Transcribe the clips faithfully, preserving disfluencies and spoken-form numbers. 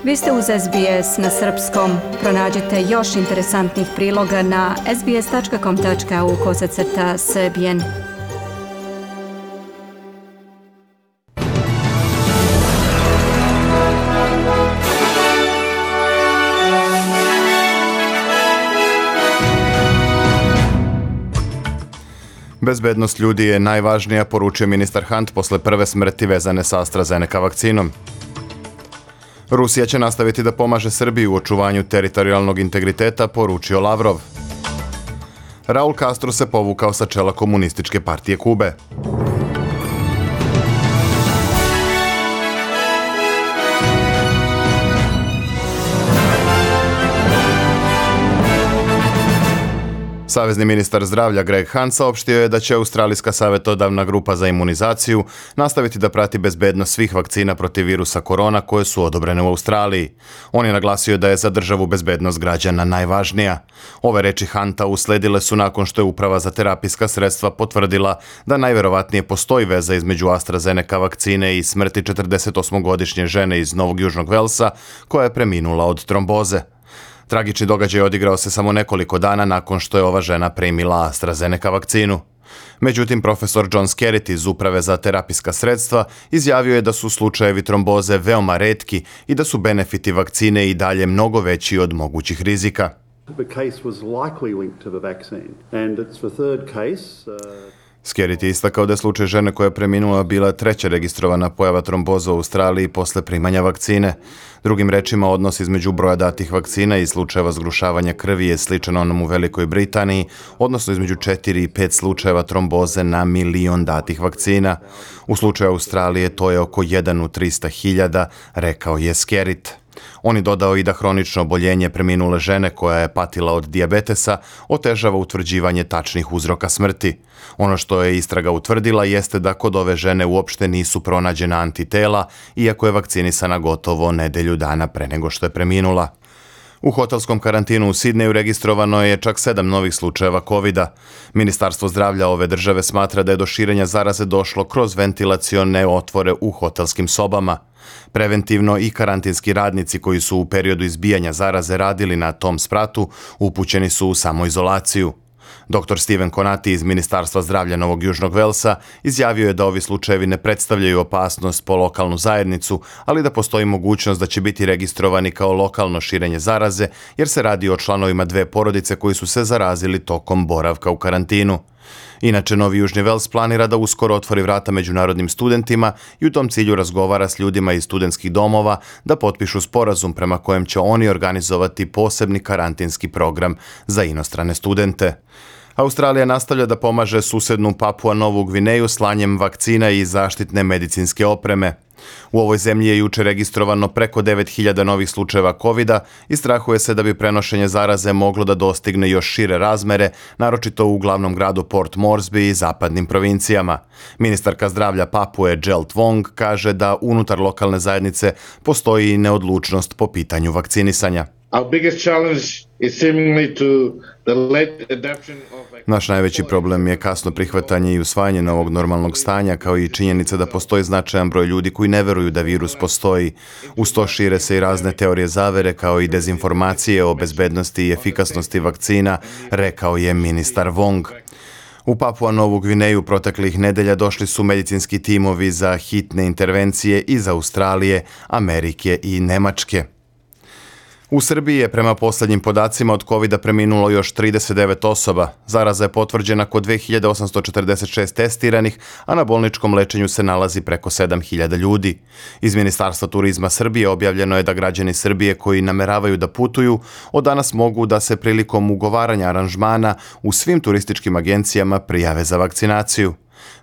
Vi ste uz S B S na srpskom. Pronađite još interesantnih priloga na sbs.com.au kosacrta srbijen. Bezbednost ljudi je najvažnija, poručio ministar Hunt posle prve smrti vezane sa AstraZeneca vakcinom. Rusija će nastaviti da pomaže Srbiji u očuvanju teritorijalnog integriteta, poručio Lavrov. Raul Castro se povukao sa čela Komunističke partije Kube. Savezni ministar zdravlja Greg Hunt saopštio je da će Australijska savjetodavna grupa za imunizaciju nastaviti da prati bezbednost svih vakcina protiv virusa korona koje su odobrene u Australiji. On je naglasio da je za državu bezbednost građana najvažnija. Ove reči Hunta usledile su nakon što je Uprava za terapijska sredstva potvrdila da najverovatnije postoji veza između AstraZeneca vakcine i smrti četrdesetosmogodišnje žene iz Novog Južnog Velsa koja je preminula od tromboze. Tragični događaj odigrao se samo nekoliko dana nakon što je ova žena primila AstraZeneca vakcinu. Međutim, profesor John Skerritt iz Uprave za terapijska sredstva izjavio je da su slučajevi tromboze veoma retki i da su benefiti vakcine i dalje mnogo veći od mogućih rizika. Skerritt je istakao da je slučaj žene koja je preminula bila treća registrovana pojava tromboza u Australiji posle primanja vakcine. Drugim rečima, odnos između broja datih vakcina i slučajeva zgrušavanja krvi je sličan onom u Velikoj Britaniji, odnosno između četiri i pet slučajeva tromboze na milion datih vakcina. U slučaju Australije to je oko jedan u trista hiljada, rekao je Skerritt. On je dodao i da hronično oboljenje preminule žene koja je patila od dijabetesa otežava utvrđivanje tačnih uzroka smrti. Ono što je istraga utvrdila jeste da kod ove žene uopšte nisu pronađena antitela, iako je vakcinisana gotovo nedelju dana pre nego što je preminula. U hotelskom karantinu u Sidneju registrovano je čak sedam novih slučajeva kovida. Ministarstvo zdravlja ove države smatra da je do širenja zaraze došlo kroz ventilacione otvore u hotelskim sobama. Preventivno i karantinski radnici koji su u periodu izbijanja zaraze radili na tom spratu upućeni su u samoizolaciju. doktor Steven Konati iz Ministarstva zdravlja Novog Južnog Velsa izjavio je da ovi slučajevi ne predstavljaju opasnost po lokalnu zajednicu, ali da postoji mogućnost da će biti registrovani kao lokalno širenje zaraze, jer se radi o članovima dve porodice koji su se zarazili tokom boravka u karantinu. Inače, Novi Južni Vels planira da uskoro otvori vrata međunarodnim studentima i u tom cilju razgovara s ljudima iz studentskih domova da potpišu sporazum prema kojem će oni organizovati posebni karantinski program za inostrane studente. Australija nastavlja da pomaže susednu Papua Novu Gvineju slanjem vakcina i zaštitne medicinske opreme. U ovoj zemlji je juče registrovano preko devet hiljada novih slučajeva kovida i strahuje se da bi prenošenje zaraze moglo da dostigne još šire razmere, naročito u glavnom gradu Port Moresby i zapadnim provincijama. Ministarka zdravlja Papue Jill Twong kaže da unutar lokalne zajednice postoji neodlučnost po pitanju vakcinisanja. Our biggest challenge is seemingly to the late adoption of... Naš najveći problem je kasno prihvatanje i usvajanje novog normalnog stanja, kao i činjenica da postoji značajan broj ljudi koji ne veruju da virus postoji. Uz to šire se i razne teorije zavere, kao i dezinformacije o bezbednosti i efikasnosti vakcina, rekao je ministar Wong. U Papua Novu Gvineju proteklih nedelja došli su medicinski timovi za hitne intervencije iz Australije, Amerike i Nemačke. U Srbiji je prema poslednjim podacima od kovida preminulo još trideset devet osoba. Zaraza je potvrđena kod dve hiljade osamsto četrdeset šest testiranih, a na bolničkom lečenju se nalazi preko sedam hiljada ljudi. Iz Ministarstva turizma Srbije objavljeno je da građani Srbije koji nameravaju da putuju od danas mogu da se prilikom ugovaranja aranžmana u svim turističkim agencijama prijave za vakcinaciju.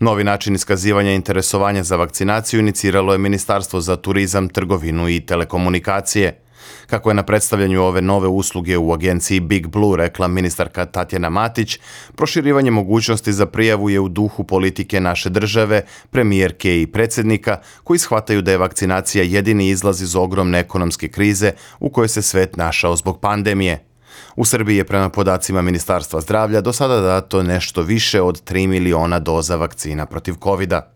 Novi način iskazivanja interesovanja za vakcinaciju iniciralo je Ministarstvo za turizam, trgovinu i telekomunikacije. Kako je na predstavljanju ove nove usluge u agenciji Big Blue rekla ministarka Tatjana Matić, proširivanje mogućnosti za prijavu je u duhu politike naše države, premijerke i predsjednika, koji shvataju da je vakcinacija jedini izlaz iz ogromne ekonomske krize u kojoj se svet našao zbog pandemije. U Srbiji je prema podacima Ministarstva zdravlja do sada dato nešto više od tri miliona doza vakcina protiv kovida.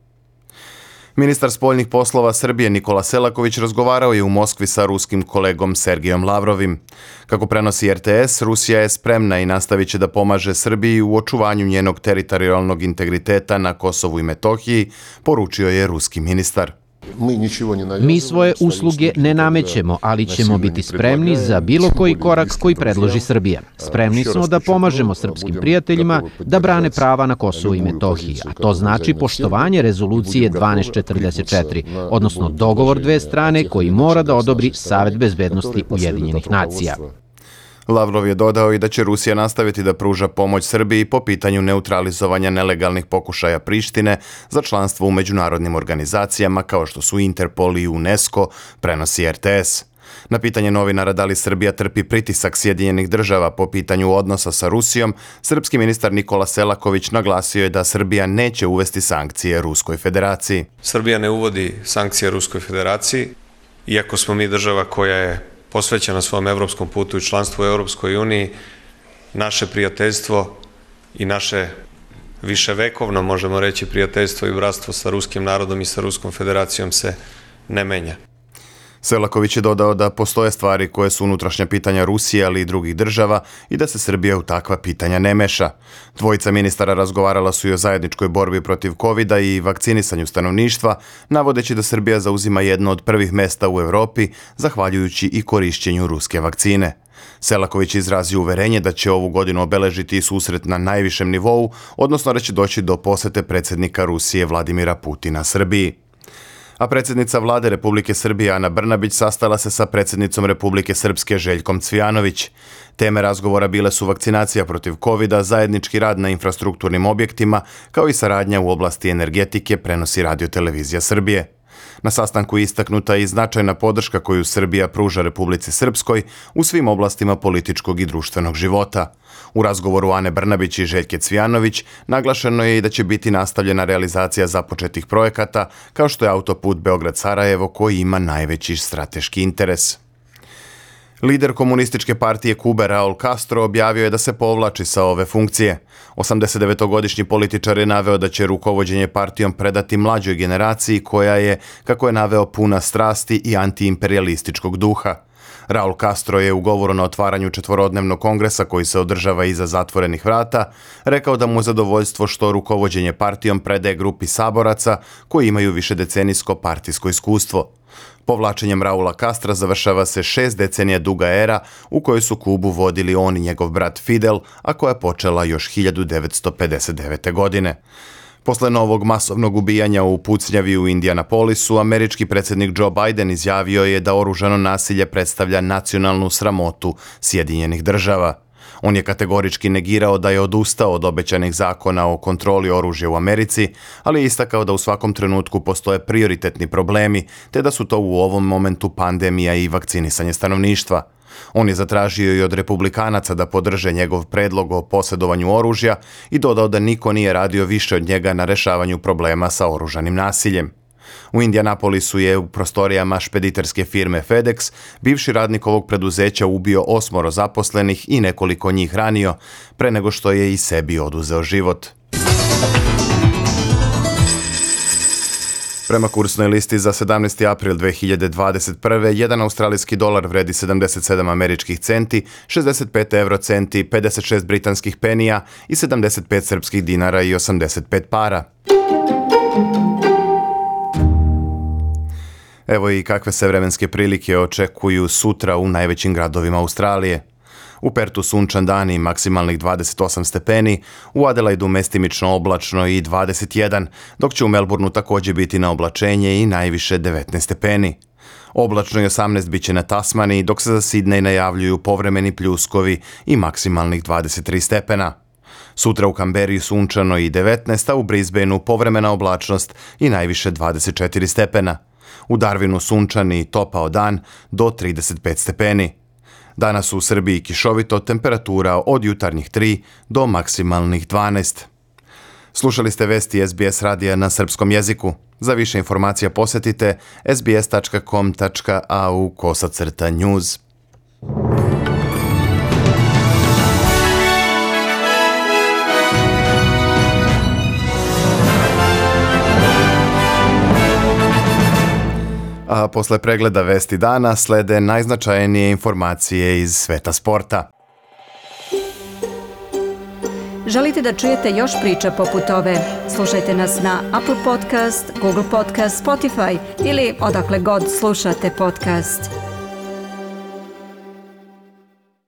Ministar spoljnih poslova Srbije Nikola Selaković razgovarao je u Moskvi sa ruskim kolegom Sergejom Lavrovim. Kako prenosi R T S, Rusija je spremna i nastavit će da pomaže Srbiji u očuvanju njenog teritorijalnog integriteta na Kosovu i Metohiji, poručio je ruski ministar. Mi svoje usluge ne namećemo, ali ćemo biti spremni za bilo koji korak koji predloži Srbija. Spremni smo da pomažemo srpskim prijateljima da brane prava na Kosovu i Metohiji, a to znači poštovanje rezolucije dvanaest četrdeset četiri, odnosno dogovor dve strane koji mora da odobri Savet bezbednosti Ujedinjenih nacija. Lavrov je dodao i da će Rusija nastaviti da pruža pomoć Srbiji po pitanju neutralizovanja nelegalnih pokušaja Prištine za članstvo u međunarodnim organizacijama kao što su Interpol i UNESCO, prenosi R T S. Na pitanje novinara da li Srbija trpi pritisak Sjedinjenih država po pitanju odnosa sa Rusijom, srpski ministar Nikola Selaković naglasio je da Srbija neće uvesti sankcije Ruskoj federaciji. Srbija ne uvodi sankcije Ruskoj federaciji, iako smo mi država koja je posvećena svom evropskom putu i članstvu u Europskoj uniji, naše prijateljstvo i naše viševekovno, možemo reći, prijateljstvo i bratstvo sa ruskim narodom i sa Ruskom federacijom se ne menja. Selaković je dodao da postoje stvari koje su unutrašnja pitanja Rusije, ali i drugih država i da se Srbija u takva pitanja ne meša. Dvojica ministara razgovarala su i o zajedničkoj borbi protiv kovida i vakcinisanju stanovništva, navodeći da Srbija zauzima jedno od prvih mesta u Evropi, zahvaljujući i korišćenju ruske vakcine. Selaković je izrazio uverenje da će ovu godinu obeležiti susret na najvišem nivou, odnosno da će doći do posete predsjednika Rusije Vladimira Putina Srbiji. A predsjednica vlade Republike Srbije Ana Brnabić sastala se sa predsjednicom Republike Srpske Željkom Cvijanović. Teme razgovora bile su vakcinacija protiv kovida, zajednički rad na infrastrukturnim objektima, kao i saradnja u oblasti energetike, prenosi Radio-televizija Srbije. Na sastanku je istaknuta i značajna podrška koju Srbija pruža Republici Srpskoj u svim oblastima političkog i društvenog života. U razgovoru Ane Brnabić i Željke Cvijanović naglašeno je i da će biti nastavljena realizacija započetih projekata, kao što je autoput Beograd-Sarajevo koji ima najveći strateški interes. Lider komunističke partije Kube Raul Castro objavio je da se povlači sa ove funkcije. osamdesetdevetogodišnji političar je naveo da će rukovođenje partijom predati mlađoj generaciji koja je, kako je naveo, puna strasti i antiimperialističkog duha. Raul Castro je u govoru na otvaranju četvorodnevnog kongresa koji se održava iza zatvorenih vrata rekao da mu je zadovoljstvo što rukovođenje partijom predaje grupi saboraca koji imaju višedecenijsko partijsko iskustvo. Povlačenjem Raula Castra završava se šest decenija duga era u kojoj su Kubu vodili on i njegov brat Fidel, a koja je počela još hiljadu devetsto pedeset devete. godine. Posle novog masovnog ubijanja u pucnjavi u Indianapolisu, američki predsjednik Joe Biden izjavio je da oružano nasilje predstavlja nacionalnu sramotu Sjedinjenih država. On je kategorički negirao da je odustao od obećanih zakona o kontroli oružja u Americi, ali je istakao da u svakom trenutku postoje prioritetni problemi, te da su to u ovom momentu pandemija i vakcinisanje stanovništva. On je zatražio i od republikanaca da podrže njegov predlog o posjedovanju oružja i dodao da niko nije radio više od njega na rešavanju problema sa oružanim nasiljem. U Indianapolisu je u prostorijama špediterske firme FedEx bivši radnik ovog preduzeća ubio osmoro zaposlenih i nekoliko njih ranio, pre nego što je i sebi oduzeo život. Prema kursnoj listi za sedamnaesti april dve hiljade dvadeset prve. jedan australijski dolar vredi sedamdeset sedam američkih centi, šezdeset pet evrocenti, pedeset šest britanskih penija i sedamdeset pet srpskih dinara i osamdeset pet para. Evo i kakve se vremenske prilike očekuju sutra u najvećim gradovima Australije. U Pertu sunčan dan i maksimalnih dvadeset osam stepeni, u Adelaidu mestimično oblačno i dvadeset jedan, dok će u Melbourneu također biti na oblačenje i najviše devetnaest stepeni. Oblačno i osamnaest biće na Tasmaniji, dok se za Sidnej najavljuju povremeni pljuskovi i maksimalnih dvadeset tri stepena. Sutra u Canberri sunčano i devetnaest, a u Brisbaneu povremena oblačnost i najviše dvadeset četiri stepena. U Darwinu sunčan i topao dan do trideset pet stepeni. Danas u Srbiji kišovito, temperatura od jutarnjih tri do maksimalnih dvanaest. Slušali ste vesti S B S radija na srpskom jeziku. Za više informacija posjetite s b s tačka com tačka a u kosacrta news. A posle pregleda vesti dana slede najznačajnije informacije iz sveta sporta. Želite da čujete još priča poput ove? Slušajte nas na Apple Podcast, Google Podcast, Spotify ili odakle god slušate podcast.